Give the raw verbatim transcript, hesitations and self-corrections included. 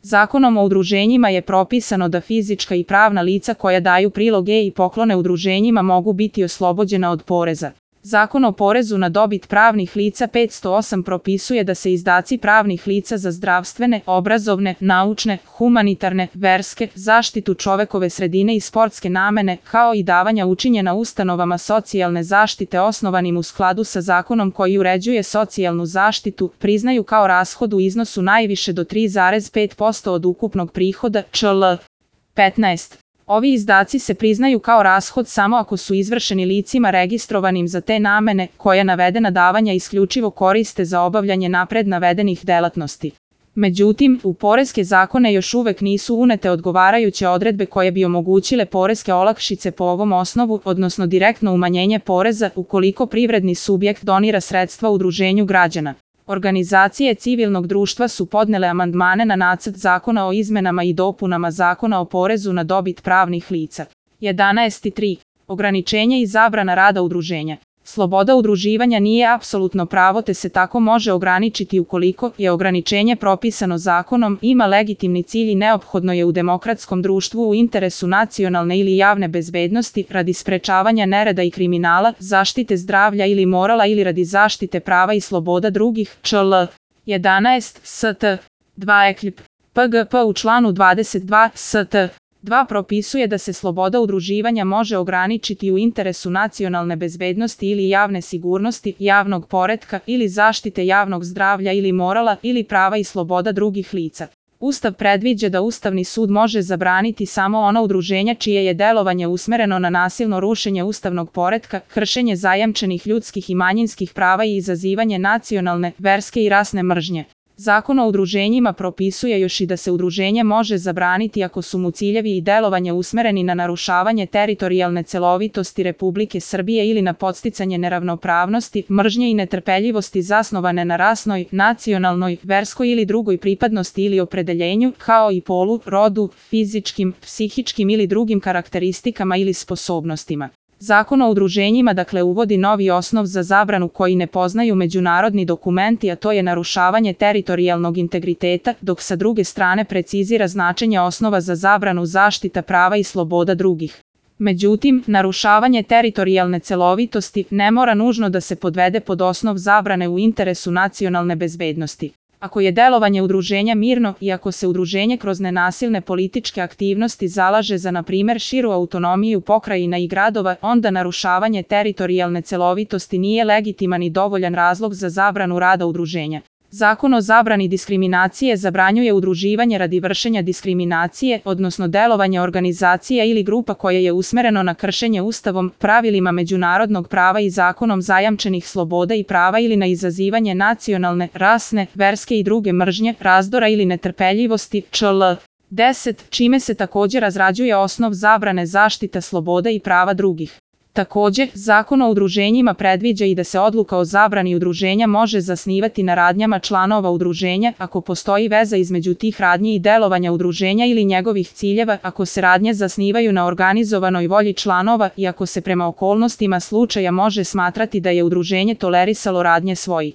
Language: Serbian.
Zakonom o udruženjima je propisano da fizička i pravna lica koja daju priloge i poklone udruženjima mogu biti oslobođena od poreza. Zakon o porezu na dobit pravnih lica petsto osam propisuje da se izdaci pravnih lica za zdravstvene, obrazovne, naučne, humanitarne, verske, zaštitu čovekove sredine i sportske namene, kao i davanja učinjena ustanovama socijalne zaštite osnovanim u skladu sa zakonom koji uređuje socijalnu zaštitu, priznaju kao rashod u iznosu najviše do tri zarez pet posto od ukupnog prihoda čl. petnaest. Ovi izdaci se priznaju kao rashod samo ako su izvršeni licima registrovanim za te namene, koja navedena davanja isključivo koriste za obavljanje napred navedenih delatnosti. Međutim, u poreske zakone još uvek nisu unete odgovarajuće odredbe koje bi omogućile poreske olakšice po ovom osnovu, odnosno direktno umanjenje poreza ukoliko privredni subjekt donira sredstva udruženju građana. Organizacije civilnog društva su podnele amandmane na nacrt zakona o izmenama i dopunama Zakona o porezu na dobit pravnih lica. jedanaest tri. Ograničenje i zabrana rada udruženja. Sloboda udruživanja nije apsolutno pravo te se tako može ograničiti ukoliko je ograničenje propisano zakonom, ima legitimni cilj i neophodno je u demokratskom društvu u interesu nacionalne ili javne bezbednosti, radi sprečavanja nereda i kriminala, zaštite zdravlja ili morala ili radi zaštite prava i sloboda drugih, čl. jedanaest st. dva ekljp. P G P u članu dvadeset dva st. dva propisuje da se sloboda udruživanja može ograničiti u interesu nacionalne bezbednosti ili javne sigurnosti, javnog poretka ili zaštite javnog zdravlja ili morala ili prava i sloboda drugih lica. Ustav predviđa da Ustavni sud može zabraniti samo ona udruženja čije je delovanje usmereno na nasilno rušenje ustavnog poretka, kršenje zajamčenih ljudskih i manjinskih prava i izazivanje nacionalne, verske i rasne mržnje. Zakon o udruženjima propisuje još i da se udruženje može zabraniti ako su mu ciljevi i delovanje usmereni na narušavanje teritorijalne celovitosti Republike Srbije ili na podsticanje neravnopravnosti, mržnje i netrpeljivosti zasnovane na rasnoj, nacionalnoj, verskoj ili drugoj pripadnosti ili opredeljenju, kao i polu, rodu, fizičkim, psihičkim ili drugim karakteristikama ili sposobnostima. Zakon o udruženjima dakle uvodi novi osnov za zabranu koji ne poznaju međunarodni dokumenti, a to je narušavanje teritorijalnog integriteta, dok sa druge strane precizira značenje osnova za zabranu zaštita prava i sloboda drugih. Međutim, narušavanje teritorijalne celovitosti ne mora nužno da se podvede pod osnov zabrane u interesu nacionalne bezbednosti. Ako je delovanje udruženja mirno i ako se udruženje kroz nenasilne političke aktivnosti zalaže za, na primer, širu autonomiju pokrajina i gradova, onda narušavanje teritorijalne celovitosti nije legitiman i dovoljan razlog za zabranu rada udruženja. Zakon o zabrani diskriminacije zabranjuje udruživanje radi vršenja diskriminacije, odnosno delovanje organizacija ili grupa koje je usmereno na kršenje Ustavom, pravilima međunarodnog prava i zakonom zajamčenih sloboda i prava ili na izazivanje nacionalne, rasne, verske i druge mržnje, razdora ili netrpeljivosti, čl. deset, čime se također razrađuje osnov zabrane zaštita sloboda i prava drugih. Također, Zakon o udruženjima predviđa i da se odluka o zabrani udruženja može zasnivati na radnjama članova udruženja ako postoji veza između tih radnji i delovanja udruženja ili njegovih ciljeva, ako se radnje zasnivaju na organizovanoj volji članova i ako se prema okolnostima slučaja može smatrati da je udruženje tolerisalo radnje svojih